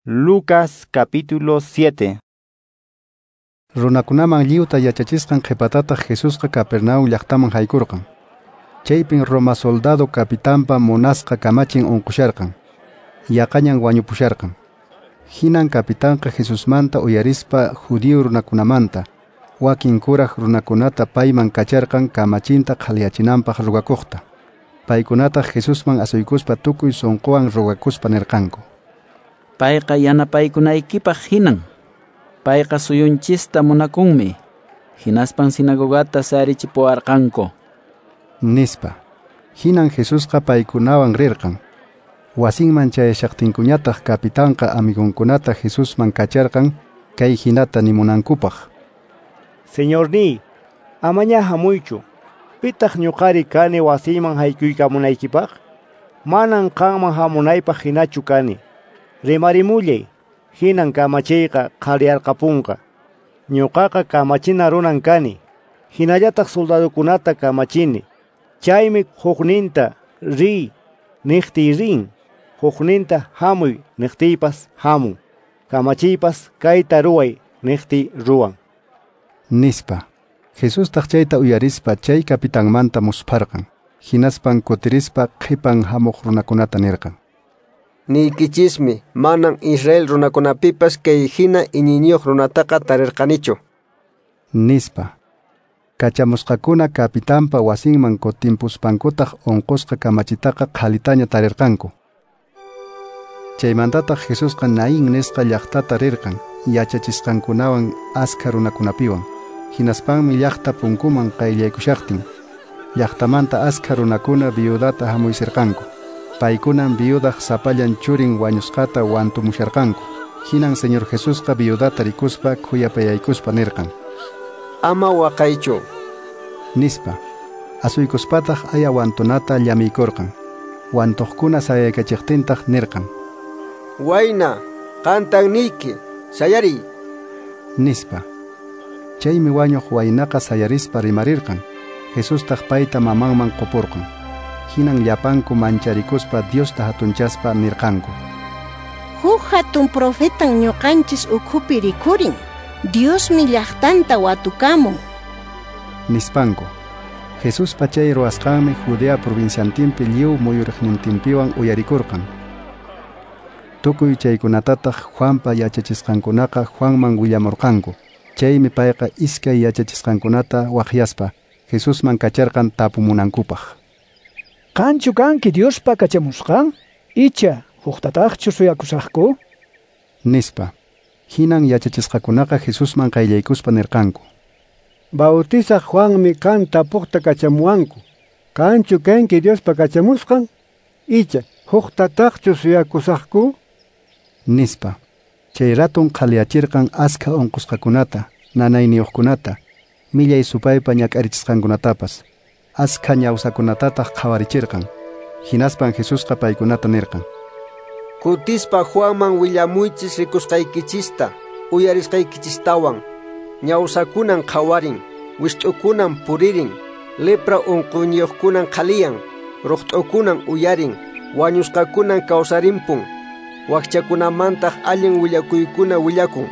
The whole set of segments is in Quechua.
Lucas capítulo 7. Runakunaman lliwta yachachisqan qhipatataq Jesusqa Capernaum llaqtaman haykurqan. Chaypin Roma soldado capitanpa munasqa kamachin unqusharqan. Yaqañan wañupusharqan. Hinan capitanqa Jesusmanta uyarispa judío runakunamanta, wakin kuraq runakunata payman kacharqan kamachinta qhaliyachinanpaq rugakuqta. Paykunataq Jesusman asuykuspa tukuy sunquwan rugakuspa nirqanku: Payqa yanapaykunaykipaq hinan. Payqa suyunchista munakunmi. Hinaspan sinagogata sayarichipuwarqanku. Nispa. Hinan Jesusqa paykunawan rirqan. Wasinman chayashaqtinkuñataq capitanqa amigunkunata Jesusman kacharqan kay hinata nimunankupaq: Señorniy, amaña hamuychu. Pitaq ñuqari kani wasiyman haykuykamunaykipaq? Manan qanman hamunaypaq hinachu kani. Rimarimullay, hinan kamachiyqa qhaliyarqapunqa. Ñuqaqa kamachina runan kani. Hinallataq soldadokunata kamachini. Chaymi hukninta riy niqtiy rin, hukninta hamuy niqtiypas hamun. Kamachiypas kayta ruway niqtiy ruwan. Nispa. Jesustaq chayta uyarispa chay capitanmanta muspharqan. Hinaspan kutirispa qhipan hamuq runakunata nirqan: Niykichismi, manan Israel runakunapipas kay hina iñiyniyuq runataqa tarirqanichu. Nispa. Kachamusqakuna capitanpa wasinman kutimpuspankutaq unqusqa kamachitaqa qhalitaña tarirqanku. Chaymantataq Jesusqa Naín nisqa llaqtata rirqan yachachisqankunawan askha runakunapiwan. Hinaspanmi llaqta punkuman qayllaykushaqtin llaqtamanta askha runakuna viudata hamuysirqanku. Paykunan viudaq sapallan churin wañusqata wantumusharqanku. Hinan Señor Jesusqa viudata rikuspa khuyapayaykuspa nirqan: Ama waqaychu. Nispa. Asuykuspataq aya wantunata llamiykurqan. Wantuqkuna sayaykachiqtintaq nirqan: Wayna, qantan niyki, sayariy. Nispa. Chaymi wañuq waynaqa sayarispa rimarirqan. Jesustaq payta mamanman qupurqan. Hinan llapanku mancharikuspa Diosta hatunchaspa nirqanku: Huk hatun profetan ñuqanchis ukhupi rikhurin. Diosmi llaqtanta watukamun. Nispanku. Jesuspa chay ruwasqanmi Judea provinciantinpi lliw muyuriqnintinpiwan uyarikurqan. Tukuy chaykunatataq Juanpa yachachisqankunaqa Juanman willamurqanku. Chaymi payqa iskay yachachisqankunata waqyaspa Jesusman kacharqan tapumunankupaq: Qanchu kanki Diospa kachamusqan? Icha huktataqchu suyakusaqku? Nispa. Hinan yachachisqakunaqa Jesusman qayllaykuspa nirqanku: Bautizaq Juanmi qan tapuqta kachamuwanku. Qanchu kanki Diospa kachamusqan? Icha huktataqchu suyakusaqku? Nispa. Chay ratun qhaliyachirqan askha unqusqakunata, nanayniyuqkunata, millay supaypa ñak'arichisqankunatapas. Askha ñawsakunatataq qhawarichirqan. Hinaspan Jesusqa paykunata nirqan: Kutispa Juanman willamuychis rikusqaykichista, uyarisqaykichistawan. Ñawsakunan qhawarin, wist'ukunan puririn, lepra unquyniyuqkunan qhaliyan, ruqt'ukunan uyarin, wañusqakunan kawsarimpun, wakchakunamantaq allin willakuykuna willakun.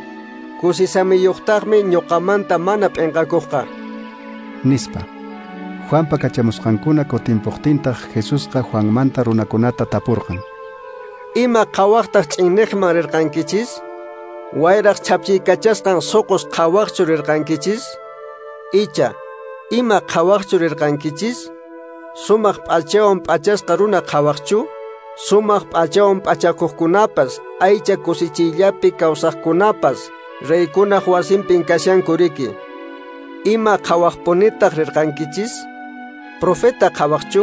Kusisamiyuqtaqmi ñuqamanta mana p'inqakuqqa. Nispa. Juanpa kachamusqankuna kutimpuqtintaq Jesusqa Juanmanta runakunata tapurqan: Ima qhawaqtaq ch'inniqman rirqankichis? Wayraq chhapchiykachasqan suqus qhawaqchu rirqankichis? Icha, ima qhawaqchu rirqankichis? Sumaq p'achawan p'achasqa runa qhawaqchu? Sumaq p'achawan p'achakuqkunapas, aycha kusichiyllapi kawsaqkunapas, reykunaq wasinpin kashanku riki. Ima qhawaqpunitaq rirqankichis? Profeta qhawaqchu?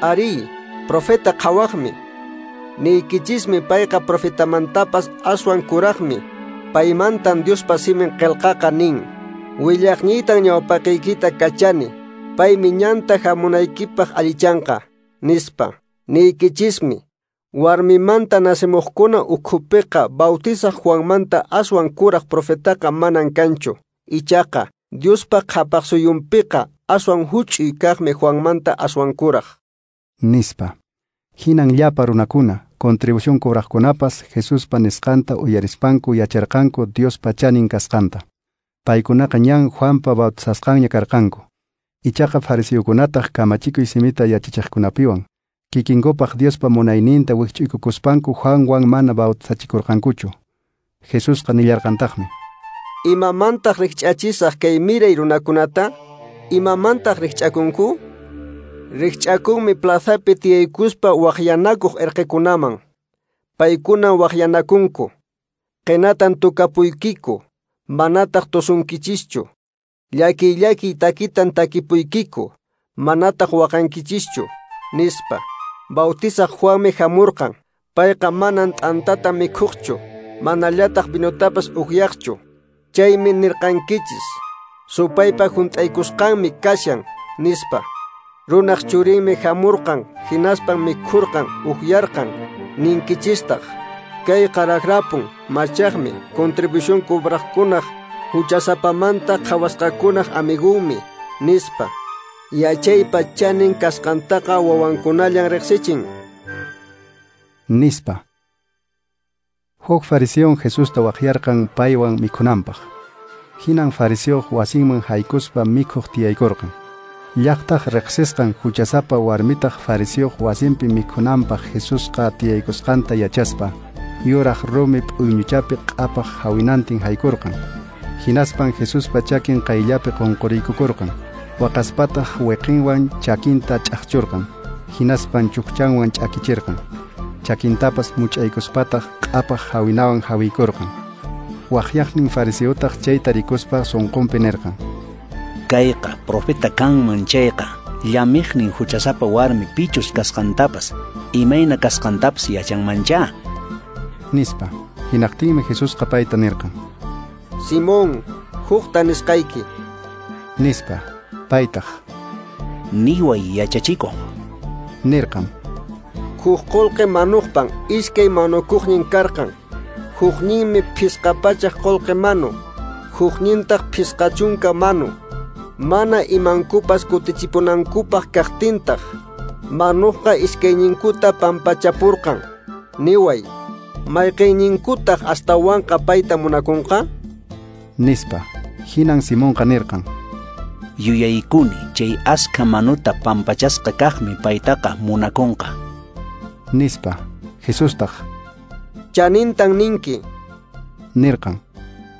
Ari, profeta qhawaqmi. Niykichismi payqa profetamantapas aswan kuraqmi. Paymantan Diospa simin qillqaqa nin: Willaqniytan ñawpaqiykita kachani, paymi ñanta hamunaykipaq allichanqa, nispa. Niykichismi, warmimanta nacimuqkuna ukhupiqa Bautizaq Juanmanta aswan kuraq profetaqa manan kanchu. Ichaqa Diospa qhapaq suyunpiqa aswan huch'uy kaqmi Juanmanta aswan kuraq. Nispa. Hinan llapa runakuna, Contribución cobraqkunapas Jesuspa nisqanta uyarispanku yacharqanku Diospa chanin kasqanta. Paykunaqa ñan Juanpa bautizasqanña karqanku. Ichaqa fariseokunataq kamachikuy simita yachachiqkunapiwan kikinkupaq Diospa munayninta wikch'uykukuspanku Juanwan mana bautizachikurqankuchu. Jesusqa nillarqantaqmi: Imamantaq rikch'achisaq kay miray runakunata? Imamantaq rikch'akunku? Rikch'akunmi plazapi tiyaykuspa waqyanakuq erqekunaman. Paykunan waqyanakunku. Qinatan tukapuykiku, manataq tosunkichischu. Llakiy llakiy takitan takipuykiku, manataq waqankichischu, nispa. Bautizaq Juanmi hamurqan, payqa manan t'antata mikhuqchu, manallataq vinotapas ukyaqchu. Chaymi nirqankichis, supaypa hunt'aykusqanmi kashan, nispa. Runaq churinmi hamurqan, hinaspan mikhurqan, ukyarqan, ninkichistaq. Kay qaraqrapun, machaqmi, contribución cobraqkunaq, huchasapamanta qhawasqakunaq amigunmi, nispa. Yachaypa chanin kasqantaqa wawankunallan riqsichin, nispa. Huk fariseo Jesusta waqyarqan paywan mikhunanpaq. Hinan fariseo wasinman haykuspa mikhuq tiyaykurqan. Llaqtaq riqsisqan huchasapa warmitaq fariseo wasinpi mikhunanpaq Jesusqa tiyaykusqanta yachaspa, yuraq rumi p'uyñuchapi q'apaq hawinantin haykurqan. Hinaspan Jesuspa chakin qayllapi qunquriykukurqan. Waqaspataq wiqinwan chakinta ch'aqchurqan. Hinaspan chukchanwan ch'akichirqan. Chakintapas much'aykuspataq q'apaq hawinawan hawiykurqan. Waqyaqnin fariseotaq chayta rikuspa sunqunpi nirqan: Kayqa profeta kanman chayqa, llamiqnin huchasapa warmi pichus kasqantapas, imayna kasqantapas yachanmancha, nispa. Hinaqtinmi Jesusqa payta nirqan: Simón, hukta nisqayki, nispa. Paytaq: Niway yachachikuq, nirqan. Huk qullqi manuqpan iskay manukuqnin karqan. Hukninmi 500 qullqi manu, huknintaq 50 manu. Mana imankupas kutichipunankupaq kaqtintaq, manuqqa iskayninkuta pampachapurqan. Niway, mayqinninkutaq astawanqa payta munakunqa? Nispa. Hinan Simonqa nirqan: Yuyaykuni chay askha manuta pampachasqa kaqmi paytaqa munakunqa, nispa. Jesustaq: Chanintan ninki, nirqan.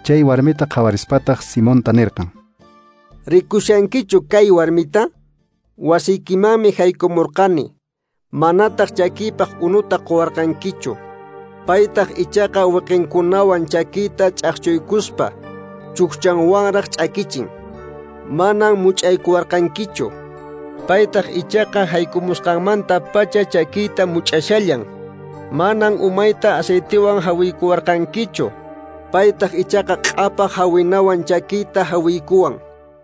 Chay warmita qhawarispataq Simonta nirqan: Rikushankichu kay warmita? Wasiykimanmi haykumurqani, manataq chakiypaq unuta quwarqankichu. Paytaq ichaqa wiqinkunawan chakiyta ch'aqchuykuspa chukchanwanraq ch'akichin. Manan much'aykuwarqankichu. Paytaq ichaqa haykumusqanmanta pacha chakiyta much'ashallan. Manan umayta aceitewan hawiykuwarqankichu. Paytaq ichaqa q'apaq hawinawan chakiyta hawiykuwan.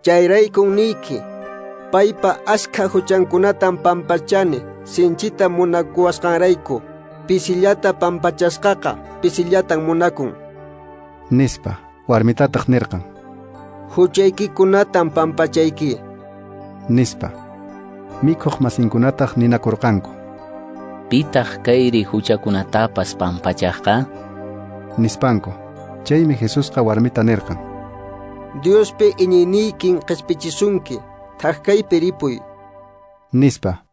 Chayraykun niyki, paypa askha huchankunatan pampachani, sinchita munakuwasqanrayku. Pisillata pampachasqaqa pisillatan munakun, nispa. Warmitataq nirqan: Huchaykikunatan pampachayki, nispa. Mikhuq masinkunataq ninakurqanku: Pitaq kayri huchakunatapas pampachaqqa? Nispanku. Chaymi Jesusqa warmita nirqan: Diospi iñiyniykin qispichisunki, thak kaypi ripuy, nispa.